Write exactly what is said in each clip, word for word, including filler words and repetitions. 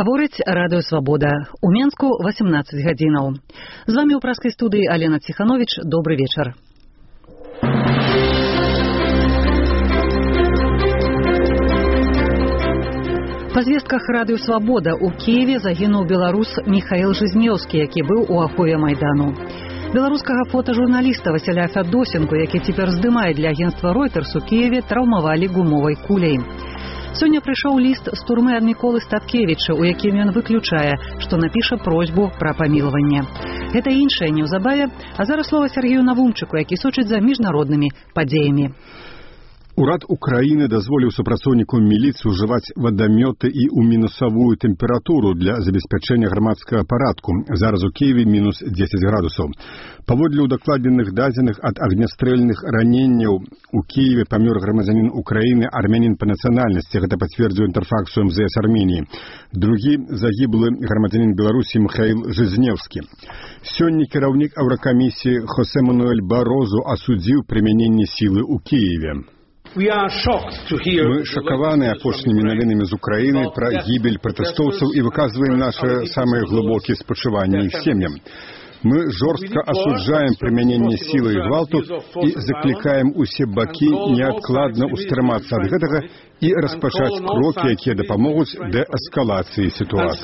Гаворыць Радыё Свабода. У Менску восемнадцать гадзінаў. З вами ў праскай студыі Алена Ціханович. Добры вечар. Па звестках Радыё Свабода у Киеве загінуў беларус Михаил Жизнеўскі, які быў у ахове Майдану. Беларускага фотажурналіста Васіля Фядосенко, які цяпер здымае для агенцтва Reuters у Киеве, траўмавалі гумовай куляй. Сёння прыйшоў ліст з турмы ад Міколы Статкевіча, у якім ён выключае, што напіша просьбу пра памілаванне. Гэта іншае неўзабаве, а зараз слова Сергею Навумчыку, які сочыць за міжнароднымі падзеямі. Урад Украіны дазволіў супрацоўнікам міліцыі ўжываць вадамёты і ў мінусавую тэмпературу для забеспячэння грамадскага парадку. Зараз у Киеве мінус дзесяць градусаў. Паводле ўдакладненых дадзеных ад агнястрэльных раненняў у Киеве памёр грамадзянін Украіны, армянін па нацыянальнасці. Гэта пацвердзіў інтэрфакс у эм зэ эс Арменіі. Другі загіблы грамадзянін Беларусі Михаил Жизнеўскі. Сёння кіраўнік Еўракамісіі Хосе Мануэль Барозу асудзіў прымяненне сілы ў Киеве. Мы шакаваны апошнімі навінамі з Украіны пра гібель пратэстоўцаў і выказваем нашы самыя глыбокія спачуванні іх сем'ям. Мы жорстка асуджаем прымяненне сілы і гвалту і заклікаем усе бакі неадкладна ўстрымацца ад гэтага і распачаць крокі, якія дапамогуць дээскалацыі сітуацыі.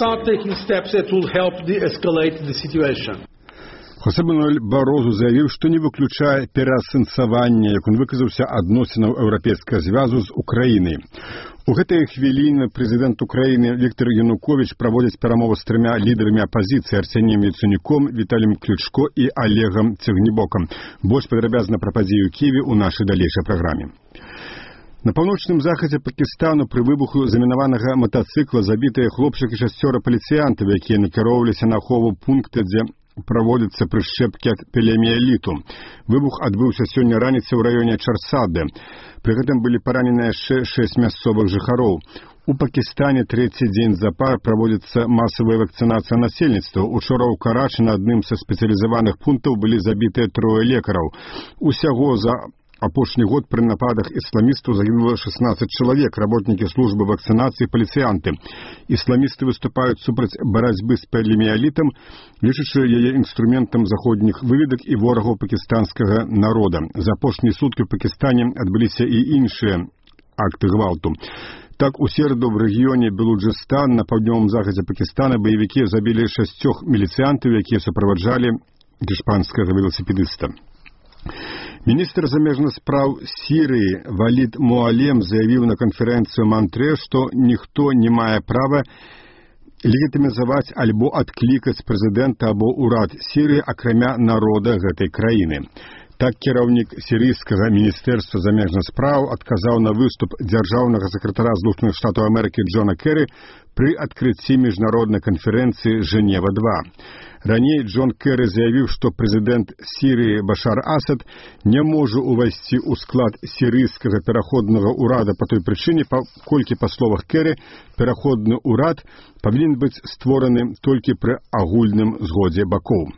Хосе Мануэль Барозу заявіў, што не выключае пераасэнсавання, як он выказаўся, адносінаў еўрапейскага звязу з Украінай. У гэтыя хвіліны прэзідэнт Украіны Віктор Януковіч праводзіць перамовы з трымя лідарамі апазіцыі Арсеніем Яценюком, Віталіем Клічко і Олегам Цягнібокам. Больш падрабязна пра падзеі ў Киеве ў нашай далейшай праграме. На паўночным захадзе Пакістану пры выбуху замінаванага матацыкла забітыя хлопчык і шасцёра паліцыянтаў, якія накіроўваліся на ахову пункта, дзе праводзяцца прышчэпкі ад паліэміэліту. Выбух адбыўся сёння раніцай у раёне Чарсады. Пры гэтым былі параненыя яшчэ шэсць мясцовых жыхароў. У Пакістане трэці дзень запар праводзіцца масавая вакцынацыя насельніцтва. Учора ў Карачы на адным са спецыялізаваных пунктаў былі забітыя трое лекараў. Усяго за апошні год пры нападах ісламістаў загінула шестнадцать чалавек, работнікі службы вакцынацыі, паліцыянты. Ісламісты выступаюць супраць барацьбы з паліэміэлітам, лічачы яе інструментам заходніх выведак і ворагаў пакістанскага народа. За апошнія суткі ў Пакістане адбыліся і іншыя акты гвалту. Так, у сераду в рэгіёне Белуджыстан на паўднёвым захадзе Пакістана баевікі забілі шасцёх міліцыянтаў, якія суправаджалі іспанскага веласіпедыста. Міністр замежных спраў Сірыі Валід Муалем заявіў на канферэнцыю Мантрэ, што ніхто не мае права легітымізаваць альбо адклікаць прэзідэнта або ўрад Сірыі, акрамя народа гэтай краіны. Так кіраўнік сірыйскага міністэрства замежных спраў адказаў на выступ дзяржаўнага сакратара Злучаных Штатаў Амерыкі Джона Кэры пры адкрыцці міжнароднай канферэнцыі Жэнева два. Раней Джон Кэры заявіў, што прэзідэнт Сірыі Башар Асад не можа ўвайсці ў склад сірыйскага пераходнага ўрада па той прычыне, паколькі, па словах Кэры, пераходны ўрад павінен быць створаны толькі пры агульным згодзе бакоў.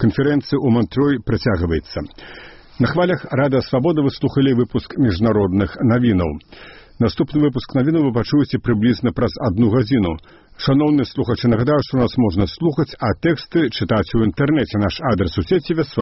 Канферэнцыя ў Мантрой працягваецца. На хвалях Радыё Свабода вы слухалі выпуск міжнародных навінаў. Наступны выпуск навінаў вы пачуеце прыблізна праз адну гадзіну. Шановні слухачы, нагадаю, што нас можна слухаць, а тэксты чытаць у інтэрнэце. Наш адрес у сеціве